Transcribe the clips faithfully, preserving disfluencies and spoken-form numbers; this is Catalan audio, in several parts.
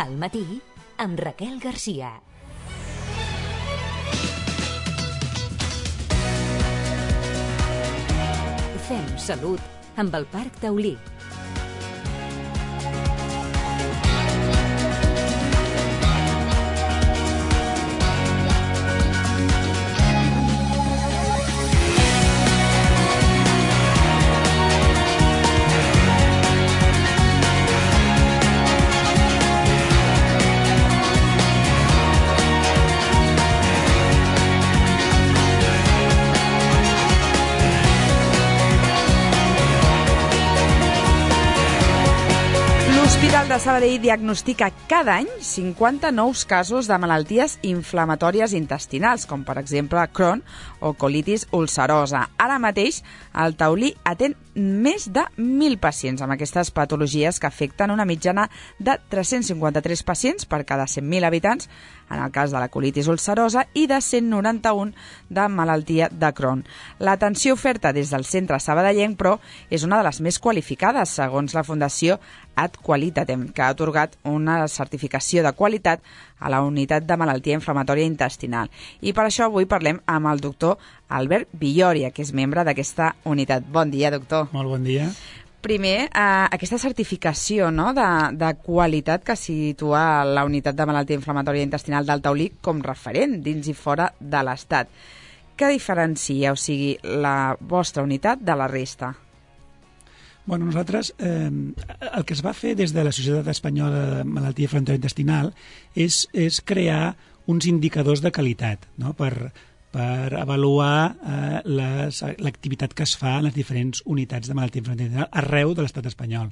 Al matí, amb Raquel Garcia. Fem salut amb el Parc Taulí. L'Hospital de Sabadell diagnostica cada any cinquanta nous casos de malalties inflamatòries intestinals, com per exemple Crohn o colitis ulcerosa. Ara mateix, el Taulí atén més de mil pacients amb aquestes patologies que afecten una mitjana de tres-cents cinquanta-tres pacients per cada cent mil habitants, en el cas de la colitis ulcerosa, i de cent noranta-un de malaltia de Crohn. L'atenció oferta des del centre sabadellenc, però, és una de les més qualificades, segons la Fundació Ad Qualitatem, que ha atorgat una certificació de qualitat a la unitat de malaltia inflamatòria intestinal. I per això avui parlem amb el doctor Albert Villoria, que és membre d'aquesta unitat. Bon dia, doctor. Molt bon dia. Primer, eh, aquesta certificació, no?, de, de qualitat que situa la unitat de malaltia inflamatòria intestinal del Taulí com referent dins i fora de l'Estat. Què diferencia, o sigui, la vostra unitat de la resta? Bueno, nosaltres, eh, el que es va fer des de la Societat Espanyola de Malaltia Inflamatòria Intestinal és, és crear uns indicadors de qualitat, no?, per, per avaluar eh, les, l'activitat que es fa en les diferents unitats de malaltia inflamatòria intestinal arreu de l'Estat espanyol.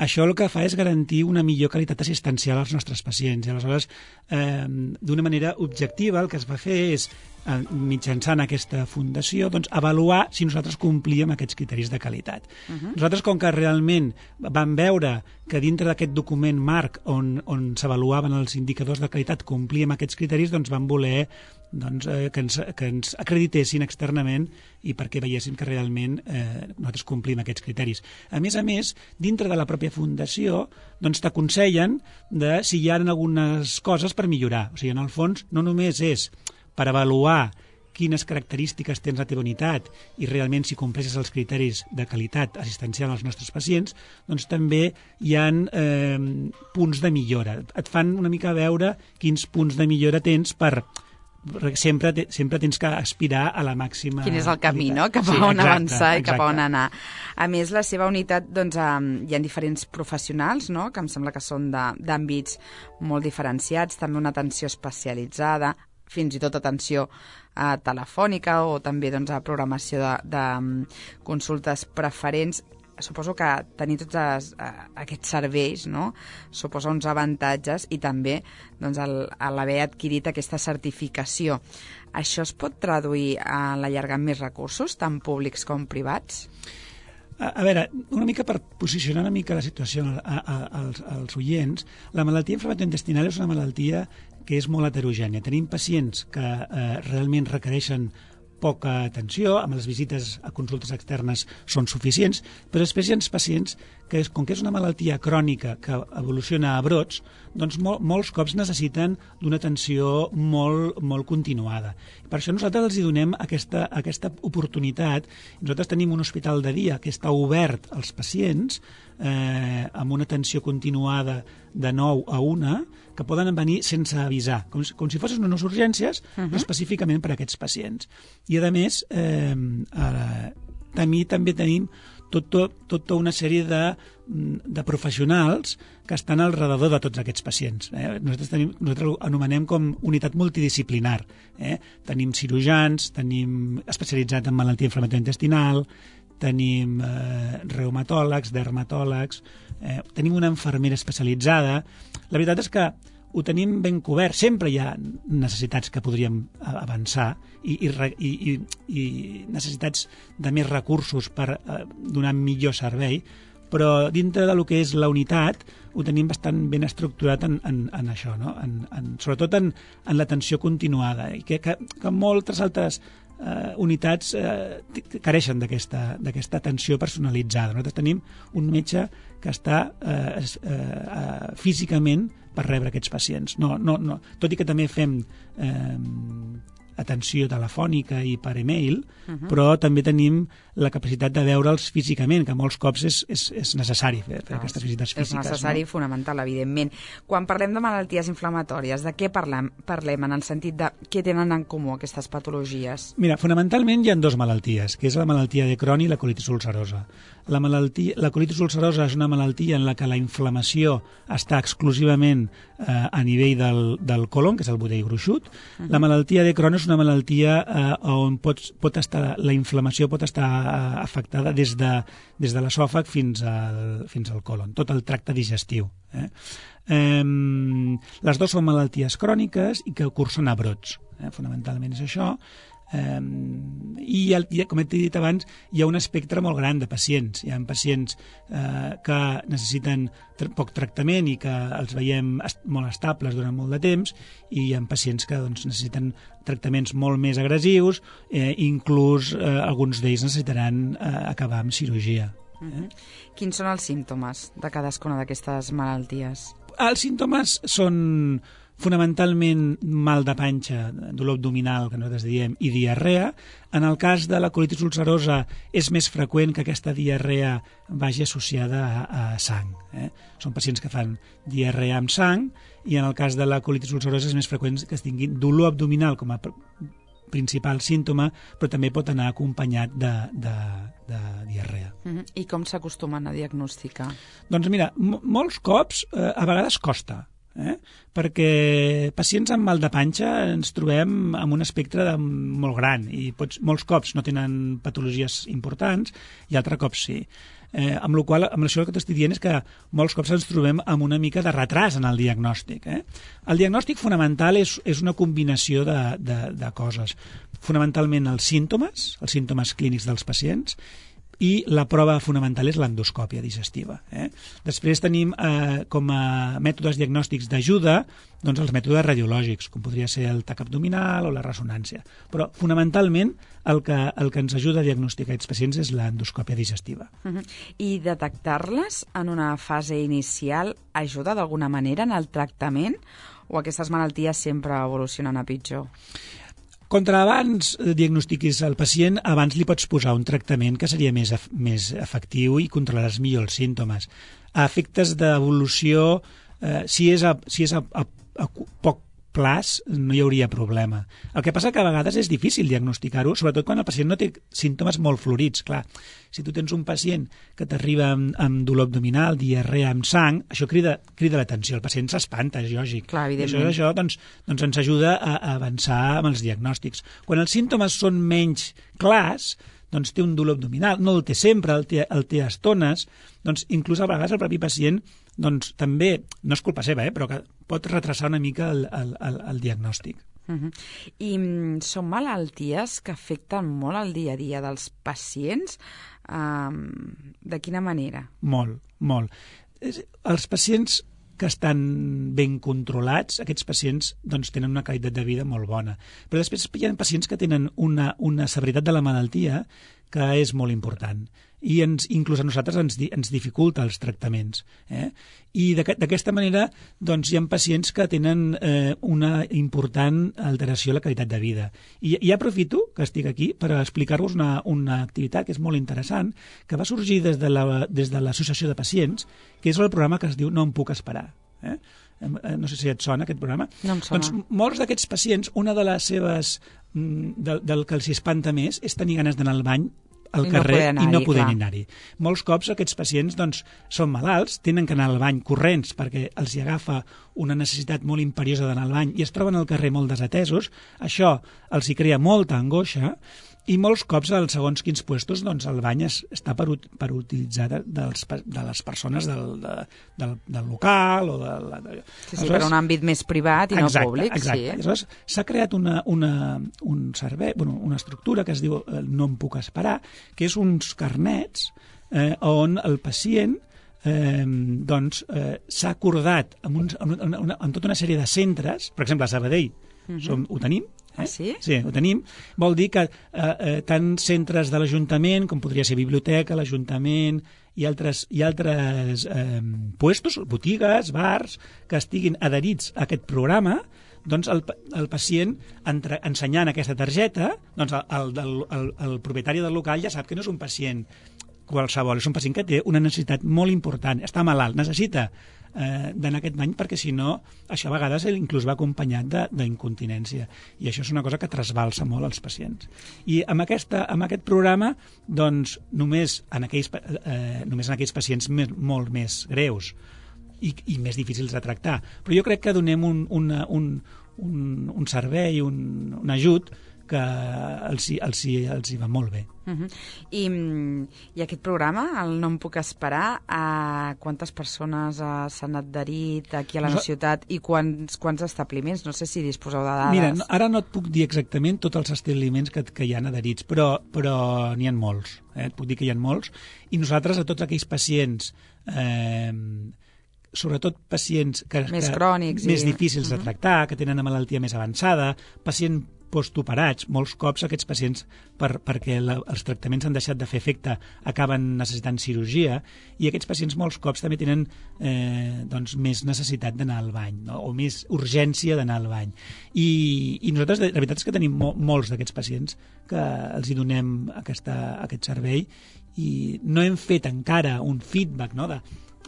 Això el que fa és garantir una millor qualitat assistencial als nostres pacients. I aleshores, eh, d'una manera objectiva, el que es va fer és, eh, mitjançant aquesta fundació, doncs, avaluar si nosaltres complíem aquests criteris de qualitat. Uh-huh. Nosaltres, com que realment vam veure que dintre d'aquest document marc on, on s'avaluaven els indicadors de qualitat complíem aquests criteris, doncs vam voler doncs, eh, que, ens, que ens acreditessin externament i perquè veiessin que realment eh, nosaltres complim aquests criteris. A més a més, dintre de la pròpia fundació, doncs t'aconsellen de si hi ha algunes coses per millorar. O sigui, en el fons, no només és per avaluar quines característiques tens la teva unitat i realment si compleixes els criteris de qualitat assistencial als nostres pacients, doncs també hi ha eh, punts de millora. Et fan una mica veure quins punts de millora tens per... Sempre, sempre tens que aspirar a la màxima... Quin és el camí, no?, cap a sí, on exacte, avançar i exacte. cap a on anar. A més, la seva unitat, doncs, hi ha diferents professionals, no?, que em sembla que són d'àmbits molt diferenciats, també una atenció especialitzada, fins i tot atenció eh, telefònica o també, doncs, a programació de, de consultes preferents. Suposo que tenir tots els, uh, aquests serveis, no?, suposa uns avantatges i també, doncs, el, l'haver adquirit aquesta certificació. Això es pot traduir a l'allargar més recursos, tant públics com privats? A, a veure, una mica per posicionar una mica la situació a, a, als, als oients, la malaltia inflamatòria intestinal és una malaltia que és molt heterogènia. Tenim pacients que eh, realment requereixen poca atenció, amb les visites a consultes externes són suficients, però després hi ha pacients que, com que és una malaltia crònica que evoluciona a brots, doncs mol, molts cops necessiten d'una atenció molt, molt continuada. Per això nosaltres els donem aquesta, aquesta oportunitat. Nosaltres tenim un hospital de dia que està obert als pacients eh, amb una atenció continuada de nou a una, que poden venir sense avisar, com, com si fossin unes urgències, uh-huh. però específicament per a aquests pacients. I, a més, eh, eh, també, també tenim tota tot, tot una sèrie de, de professionals que estan al redador de tots aquests pacients. Eh? Nosaltres, tenim, nosaltres anomenem com unitat multidisciplinar. Eh? Tenim cirurgians, tenim especialitzats en malaltia inflamatòria intestinal, tenim eh, reumatòlegs, dermatòlegs, eh, tenim una infermera especialitzada. La veritat és que ho tenim ben cobert. Sempre hi ha necessitats que podríem avançar i, i, i, i necessitats de més recursos per eh, donar millor servei, però dintre del que és la unitat ho tenim bastant ben estructurat en, en, en això, no? en, en, sobretot en, en l'atenció continuada, i que, que, que moltes altres eh, unitats eh, careixen d'aquesta d'aquesta atenció personalitzada. Nosaltres tenim un metge que està eh, eh, físicament per rebre aquests pacients. No, no, no. Tot i que també fem eh, atenció telefònica i per e-mail, uh-huh. però també tenim la capacitat de veure'ls físicament, que molts cops és, és, és necessari fer, fer aquestes visites físiques. És necessari i no? fonamental, evidentment. Quan parlem de malalties inflamatòries, de què parlem, parlem en el sentit de què tenen en comú aquestes patologies? Mira, fonamentalment hi ha dues malalties, que és la malaltia de Crohn i la colitis ulcerosa. La, malaltia, la colitis ulcerosa és una malaltia en la que la inflamació està exclusivament eh, a nivell del, del colon, que és el budell gruixut. Uh-huh. La malaltia de Crohn és una malaltia eh, on pot, pot estar, la inflamació pot estar eh, afectada des de, des de l'esòfag fins al, fins al colon, tot el tracte digestiu. Eh? Eh, les dues són malalties cròniques i que cursen a brots. Eh? Fonamentalment és això. Um, i, el, i com he dit abans, hi ha un espectre molt gran de pacients. Hi ha pacients uh, que necessiten tra poc tractament i que els veiem est molt estables durant molt de temps, i hi ha pacients que doncs, necessiten tractaments molt més agressius, eh, inclús eh, alguns d'ells necessitaran eh, acabar amb cirurgia. Eh? Uh-huh. Quins són els símptomes de cadascuna d'aquestes malalties? Els símptomes són fonamentalment mal de panxa, dolor abdominal, que nosaltres diem, i diarrea. En el cas de la colitis ulcerosa és més freqüent que aquesta diarrea vagi associada a, a sang. Eh? Són pacients que fan diarrea amb sang, i en el cas de la colitis ulcerosa és més freqüent que es tinguin dolor abdominal com a principal símptoma, però també pot anar acompanyat de, de, de diarrea. Uh-huh. I com s'acostumen a diagnosticar? Doncs mira, molts cops, eh, a vegades costa, Eh? perquè pacients amb mal de panxa ens trobem amb un espectre de molt gran, i pots, molts cops no tenen patologies importants i altres cops sí. Eh, amb la qual, amb això que t'estic dient és que molts cops ens trobem amb una mica de retras en el diagnòstic. Eh? El diagnòstic fonamental és, és una combinació de, de, de coses. Fonamentalment els símptomes, els símptomes clínics dels pacients, i la prova fonamental és l'endoscòpia digestiva. Eh? Després tenim eh, com a mètodes diagnòstics d'ajuda doncs els mètodes radiològics, com podria ser el tac abdominal o la ressonància. Però fonamentalment el que, el que ens ajuda a diagnosticar aquests pacients és l'endoscòpia digestiva. Uh-huh. I detectar-les en una fase inicial ajuda d'alguna manera en el tractament, o aquestes malalties sempre evolucionen a pitjor? Contra abans diagnostiquis el pacient, abans li pots posar un tractament que seria més, més efectiu i controlaràs millor els símptomes. A efectes d'evolució, eh, si és, a, si és a, a, a poc plaç, no hi hauria problema. El que passa que a vegades és difícil diagnosticar-ho, sobretot quan el pacient no té símptomes molt florits. Clar, si tu tens un pacient que t'arriba amb, amb dolor abdominal, diarrea amb sang, això crida, crida l'atenció, el pacient s'espanta, és lògic. Clar, evidentment. I això, això doncs, doncs ens ajuda a, a avançar amb els diagnòstics. Quan els símptomes són menys clars, doncs té un dolor abdominal, no el té sempre, el té, el té a estones, doncs inclús a vegades el propi pacient doncs també, no és culpa seva, eh, però que pot retrasar una mica el, el, el, el diagnòstic. Uh-huh. I mm, són malalties que afecten molt el dia a dia dels pacients? Um, de quina manera? Molt, molt. Els pacients que estan ben controlats, aquests pacients doncs, tenen una qualitat de vida molt bona. Però després hi ha pacients que tenen una, una severitat de la malaltia que és molt important, i ens, inclús a nosaltres ens, ens dificulta els tractaments. Eh? I d'aquesta manera doncs, hi ha pacients que tenen eh, una important alteració a la qualitat de vida. I, i aprofito que estic aquí per explicar-vos una, una activitat que és molt interessant, que va sorgir des de la, des de l'Associació de Pacients, que és el programa que es diu No em puc esperar. Eh? No sé si et sona aquest programa. No em sona. Doncs molts d'aquests pacients, una de les seves, del, del que els espanta més és tenir ganes d'anar al bany al I carrer no i no poder clar. anar-hi. Molts cops aquests pacients doncs, són malalts, tenen que anar al bany corrents perquè els hi agafa una necessitat molt imperiosa d'anar al bany i es troben al carrer molt desatesos. Això els hi crea molta angoixa, i molts cops als segons quins puestos doncs, el bany es, està per, per utilitzar de, dels, de les persones del, de, del, del local o de, de... Sí, sí, per un àmbit més privat i exacte, no públic. Exacte. Sí. Aleshores, s'ha creat una, una, un servei, bueno, una estructura que es diu No em puc esperar, que és uns carnets eh, on el pacient eh, doncs, eh, s'ha acordat amb, uns, amb, una, amb tota una sèrie de centres, per exemple a Sabadell, Uh-huh. Som, ho tenim, Ah, sí? Sí, ho tenim. Vol dir que eh, eh, tant centres de l'Ajuntament, com podria ser biblioteca, l'Ajuntament i altres, i altres eh, puestos, botigues, bars, que estiguin adherits a aquest programa, doncs el, el pacient, entre, ensenyant aquesta targeta, doncs el, el, el, el propietari del local ja sap que no és un pacient qualsevol, és un pacient que té una necessitat molt important, està malalt, necessita eh, d'anar a aquest bany perquè si no, això a vegades inclús va acompanyat d'incontinència i això és una cosa que trasbalsa molt als pacients. I amb, aquesta, amb aquest programa, doncs només en aquells, eh, només en aquells pacients més, molt més greus i, i més difícils de tractar. Però jo crec que donem un, una, un, un, un servei, un, un ajut que els, els, els hi va molt bé. Uh-huh. I, I aquest programa, el No em puc esperar, a quantes persones uh, s'han adherit aquí a la no, ciutat i quants, quants establiments? No sé si disposeu de dades. Mira, no, ara no et puc dir exactament tots els establiments que, que hi han adherits, però, però n'hi ha molts. Eh? Et puc dir que hi ha molts. I nosaltres, a tots aquells pacients... Eh, sobretot pacients que, més que, crònics, més i... difícils uh-huh. de tractar, que tenen una malaltia més avançada, pacient postoperats, molts cops aquests pacients, per, perquè la, els tractaments han deixat de fer efecte, acaben necessitant cirurgia, i aquests pacients molts cops també tenen eh, doncs, més necessitat d'anar al bany, no? O més urgència d'anar al bany. I, i nosaltres, la veritat és que tenim mo, molts d'aquests pacients que els hi donem aquesta, aquest servei, i no hem fet encara un feedback, no?, de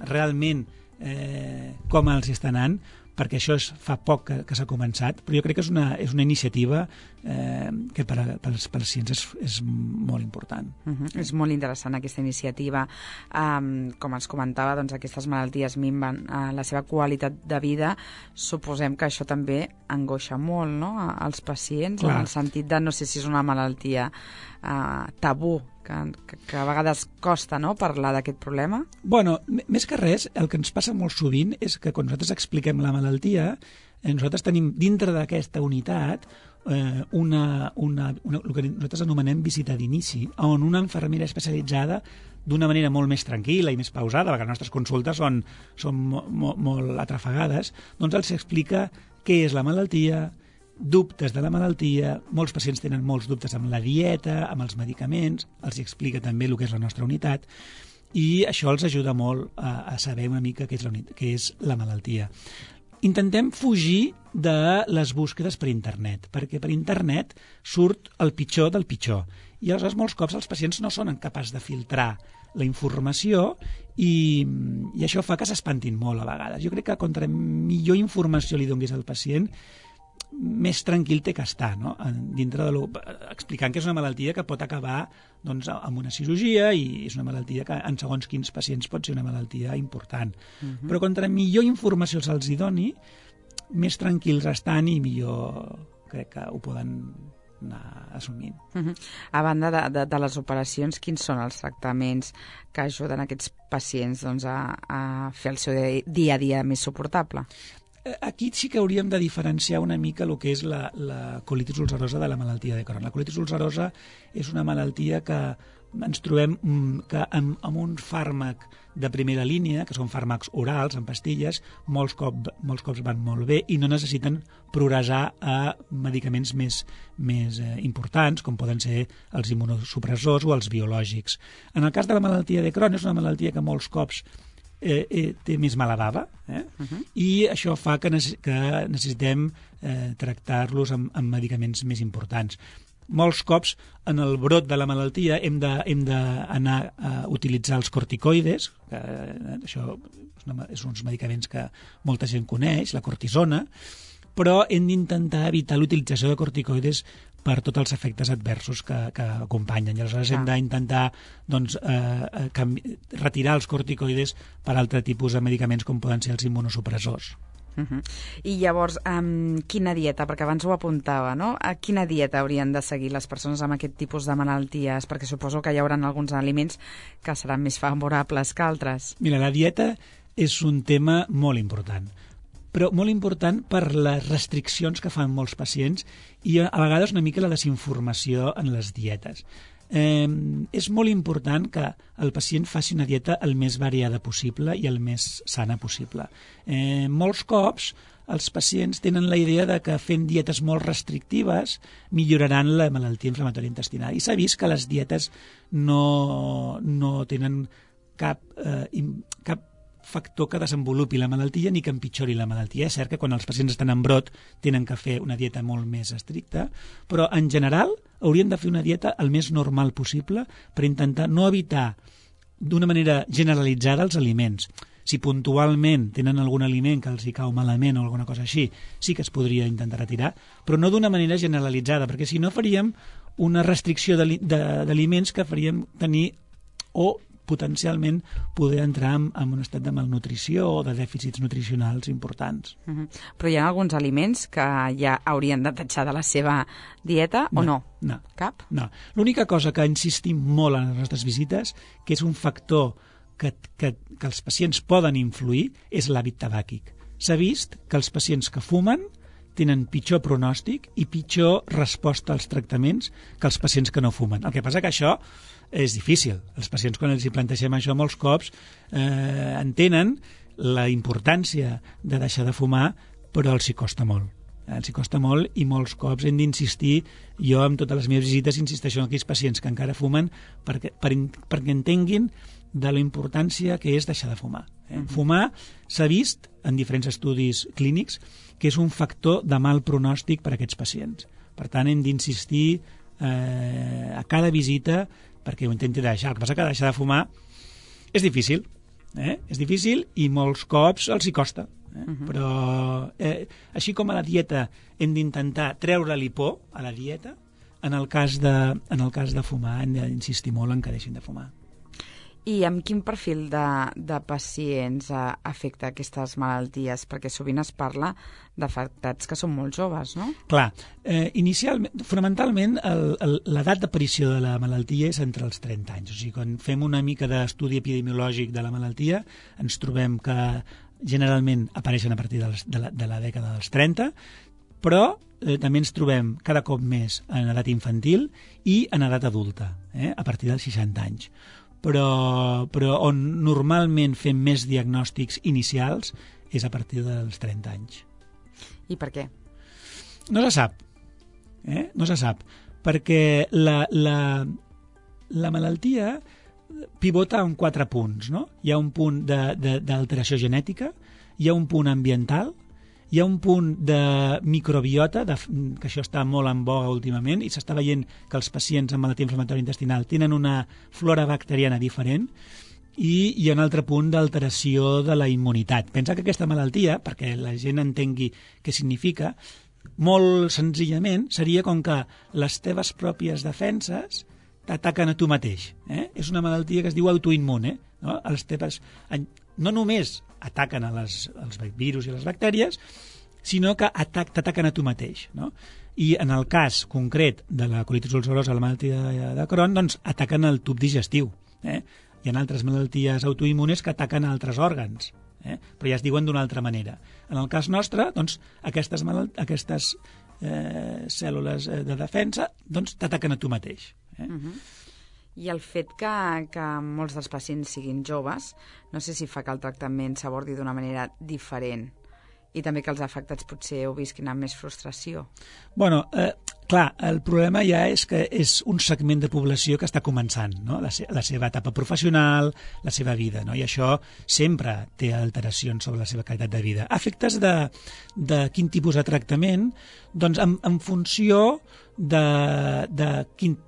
realment eh, com els està anant, perquè això és, fa poc que, que s'ha començat, però jo crec que és una, és una iniciativa eh, que per, a, per als pacients és, és molt important. Uh-huh. És molt interessant aquesta iniciativa. Um, com ens comentava, doncs, aquestes malalties minven uh, la seva qualitat de vida. Suposem que això també angoixa molt, no?, als pacients, Clar. En el sentit de no sé si és una malaltia uh, tabú, que, que, que a vegades costa, no?, parlar d'aquest problema. Bueno, més que res, el que ens passa molt sovint és que quan nosaltres expliquem la malaltia, eh, nosaltres tenim dintre d'aquesta unitat eh, una, una, una, el que nosaltres anomenem visita d'inici, on una infermera especialitzada d'una manera molt més tranquil·la i més pausada, perquè les nostres consultes són, són mo, mo, molt atrafegades, doncs els explica què és la malaltia, dubtes de la malaltia, molts pacients tenen molts dubtes amb la dieta, amb els medicaments, els explica també el que és la nostra unitat, i això els ajuda molt a, a saber una mica què és, la unitat, què és la malaltia. Intentem fugir de les búsquedes per internet, perquè per internet surt el pitjor del pitjor, i aleshores molts cops els pacients no són capaços de filtrar la informació i, i això fa que s'espantin molt a vegades. Jo crec que contra millor informació li donguis al pacient, més tranquil té que estar, no?, dintre de lo, explicant que és una malaltia que pot acabar doncs, amb una cirurgia i és una malaltia que en segons quins pacients pot ser una malaltia important. Uh-huh. Però contra millor informació se'ls hi doni, més tranquils estan i millor crec que ho poden anar assumint. Uh-huh. A banda de, de, de les operacions, quins són els tractaments que ajuden aquests pacients doncs, a, a fer el seu dia a dia més suportable? Aquí sí que hauríem de diferenciar una mica el que és la, la colitis ulcerosa de la malaltia de Crohn. La colitis ulcerosa és una malaltia que ens trobem que amb, amb un fàrmac de primera línia, que són fàrmacs orals, en pastilles, molts, cop, molts cops van molt bé i no necessiten progressar a medicaments més, més eh, importants, com poden ser els immunosupressors o els biològics. En el cas de la malaltia de Crohn és una malaltia que molts cops Eh, eh, té més mala bava, eh? uh-huh. i això fa que, nece- que necessitem eh, tractar-los amb, amb medicaments més importants. Molts cops, en el brot de la malaltia, hem d'anar a utilitzar els corticoides, que eh, això és, una, és uns medicaments que molta gent coneix, la cortisona, però hem d'intentar evitar l'utilització de corticoides per tots els efectes adversos que, que acompanyen. I aleshores ah. hem d'intentar doncs, eh, canvi, retirar els corticoides per altre tipus de medicaments com poden ser els immunosupressors. Uh-huh. I llavors, um, quina dieta? Perquè abans ho apuntava, no? A quina dieta haurien de seguir les persones amb aquest tipus de malalties? Perquè suposo que hi haurà alguns aliments que seran més favorables que altres. Mira, la dieta és un tema molt important, però molt important per les restriccions que fan molts pacients i a vegades una mica la desinformació en les dietes. Eh, és molt important que el pacient faci una dieta el més variada possible i el més sana possible. Eh, molts cops els pacients tenen la idea de que fent dietes molt restrictives milloraran la malaltia inflamatòria intestinal. I s'ha vist que les dietes no, no tenen cap, eh, cap factor que desenvolupi la malaltia ni que empitjori la malaltia. És cert que quan els pacients estan en brot tenen que fer una dieta molt més estricta, però en general haurien de fer una dieta el més normal possible per intentar no evitar d'una manera generalitzada els aliments. Si puntualment tenen algun aliment que els hi cau malament o alguna cosa així, sí que es podria intentar retirar, però no d'una manera generalitzada, perquè si no faríem una restricció d'aliments que faríem tenir o potencialment poder entrar en, en un estat de malnutrició o de dèficits nutricionals importants. Uh-huh. Però hi ha alguns aliments que ja haurien de tatxar de la seva dieta o no? No. Cap? No. L'única cosa que insistim molt en les nostres visites, que és un factor que, que, que els pacients poden influir, és l'hàbit tabàquic. S'ha vist que els pacients que fumen tenen pitjor pronòstic i pitjor resposta als tractaments que els pacients que no fumen. El que passa que això és difícil. Els pacients, quan els hi plantegem això molts cops, eh, entenen la importància de deixar de fumar, però els hi costa molt. Els hi costa molt i molts cops hem d'insistir. Jo, amb totes les meves visites, insisteixo en aquells pacients que encara fumen perquè, per, perquè entenguin de la importància que és deixar de fumar. Eh? Mm-hmm. Fumar s'ha vist en diferents estudis clínics que és un factor de mal pronòstic per a aquests pacients. Per tant, hem d'insistir eh, a cada visita perquè ho intenti deixar. El que passa que deixar de fumar és difícil, eh? És difícil i molts cops els hi costa. Eh? Uh-huh. Però eh, així com a la dieta hem d'intentar treure-li por a la dieta, en el cas de, en el cas de fumar hem d'insistir molt en que deixin de fumar. I amb quin perfil de, de pacients eh, afecta aquestes malalties? Perquè sovint es parla d'afectats que són molt joves, no? Clar, eh, inicialment, fonamentalment l'edat d'aparició de la malaltia és entre els trenta anys. O sigui, quan fem una mica d'estudi epidemiològic de la malaltia, ens trobem que generalment apareixen a partir de, les, de, la, de la dècada dels trenta, però eh, també ens trobem cada cop més en edat infantil i en edat adulta, eh, a partir dels seixanta anys. Però, però on normalment fem més diagnòstics inicials és a partir dels trenta anys. I per què? No se sap. Eh? No se sap. Perquè la, la, la malaltia pivota en quatre punts. No? Hi ha un punt d'alteració genètica, hi ha un punt ambiental, hi ha un punt de microbiota, de, que això està molt en boga últimament, i s'està veient que els pacients amb malaltia inflamatòria intestinal tenen una flora bacteriana diferent, i hi ha un altre punt d'alteració de la immunitat. Pensa que aquesta malaltia, perquè la gent entengui què significa, molt senzillament seria com que les teves pròpies defenses t'ataquen a tu mateix. Eh? És una malaltia que es diu autoimmune. No? Les teves, no només ataquen a les, als virus i a les bactèries, sinó que t'ataquen a tu mateix. No? I en el cas concret de la colitis ulcerosa, la malaltia de, de Crohn, doncs ataquen el tub digestiu. Eh? Hi ha altres malalties autoimmunes que ataquen altres òrgans, eh? però ja es diuen d'una altra manera. En el cas nostre, doncs, aquestes, malalt... aquestes eh, cèl·lules de defensa doncs, t'ataquen a tu mateix. Eh? Uh-huh. I el fet que, que molts dels pacients siguin joves, no sé si fa que el tractament s'abordi d'una manera diferent i també que els afectats potser ho visquin amb més frustració. Bueno, eh, clar, el problema ja és que és un segment de població que està començant, no? la, se la seva etapa professional, la seva vida, no? I això sempre té alteracions sobre la seva qualitat de vida. Efectes de, de quin tipus de tractament? Doncs en, en funció de, de quin...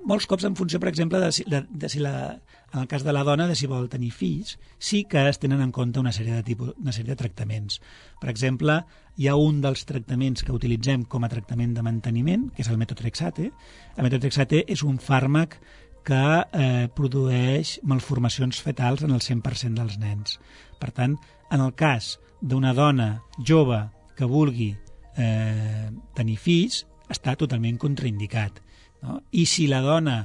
Molts cops en funció, per exemple, de si, de, de si la, en el cas de la dona, de si vol tenir fills, sí que es tenen en compte una sèrie de, tipus, una sèrie de tractaments. Per exemple, hi ha un dels tractaments que utilitzem com a tractament de manteniment, que és el metotrexate. El metotrexate és un fàrmac que eh, produeix malformacions fetals en el cent per cent dels nens. Per tant, en el cas d'una dona jove que vulgui eh, tenir fills, està totalment contraindicat. No? I si la dona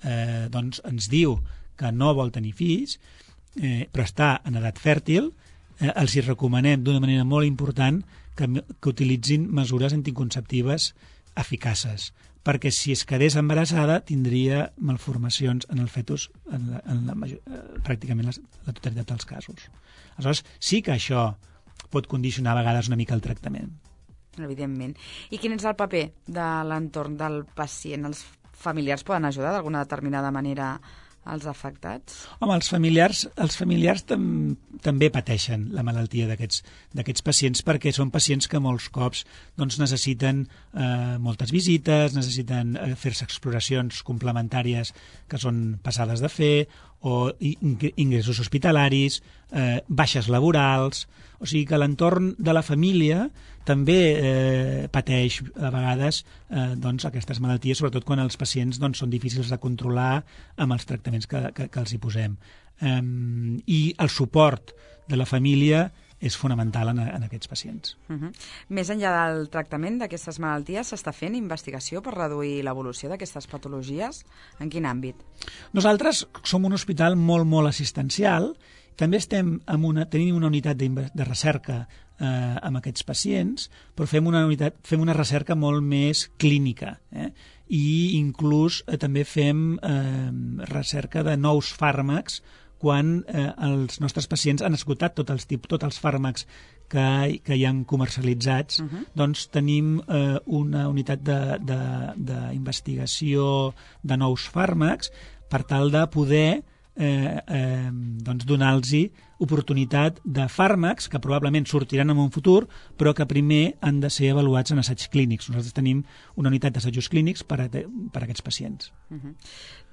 eh, doncs ens diu que no vol tenir fills, eh, però està en edat fèrtil, eh, els hi recomanem d'una manera molt important que, que utilitzin mesures anticonceptives eficaces, perquè si es quedés embarassada tindria malformacions en el fetus en, la, en la major, eh, pràcticament la, la totalitat dels casos. Aleshores, sí que això pot condicionar a vegades una mica el tractament. Evidentment. I quin és el paper de l'entorn del pacient? Els familiars poden ajudar d'alguna determinada manera als afectats? Home, els familiars, els familiars tam, també pateixen la malaltia d'aquests d'aquests pacients, perquè són pacients que molts cops doncs, necessiten eh, moltes visites, necessiten eh, fer-se exploracions complementàries que són passades de fer, o ingressos hospitalaris, eh, baixes laborals. O sigui que l'entorn de la família també eh, pateix a vegades eh, doncs, aquestes malalties, sobretot quan els pacients doncs, són difícils de controlar amb els tractaments que, que, que els hi posem. Eh, I el suport de la família és fonamental en, en aquests pacients. Uh-huh. Més enllà del tractament d'aquestes malalties, s'està fent investigació per reduir l'evolució d'aquestes patologies? En quin àmbit? Nosaltres som un hospital molt, molt assistencial. També estem amb una, tenim una unitat de, de recerca eh, amb aquests pacients, però fem una, unitat, fem una recerca molt més clínica. Eh? I inclús eh, també fem eh, recerca de nous fàrmacs quan eh, els nostres pacients han esgotat tots els, tip, tots els fàrmacs que, que hi han comercialitzats, uh-huh. doncs tenim eh, una unitat d'investigació de, de, de nous fàrmacs per tal de poder eh, eh, doncs donar-los oportunitat de fàrmacs que probablement sortiran en un futur, però que primer han de ser avaluats en assaigs clínics. Nosaltres tenim una unitat d'assajos clínics per a, per a aquests pacients. Uh-huh.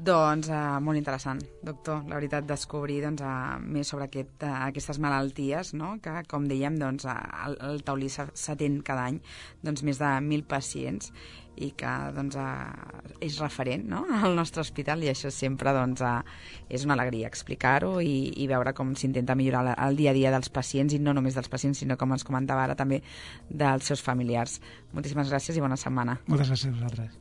Doncs uh, molt interessant, doctor, la veritat, descobrir doncs, uh, més sobre aquest, uh, aquestes malalties, no? Que, com dèiem, doncs, uh, el, el taulí s'atén cada any doncs, més de mil pacients i que doncs, uh, és referent, no? Al nostre hospital, i això sempre doncs, uh, és una alegria explicar-ho i, i veure com s'intenta millorar el dia a dia dels pacients, i no només dels pacients, sinó, com ens comentava ara, també dels seus familiars. Moltíssimes gràcies i bona setmana. Moltes gràcies a vosaltres.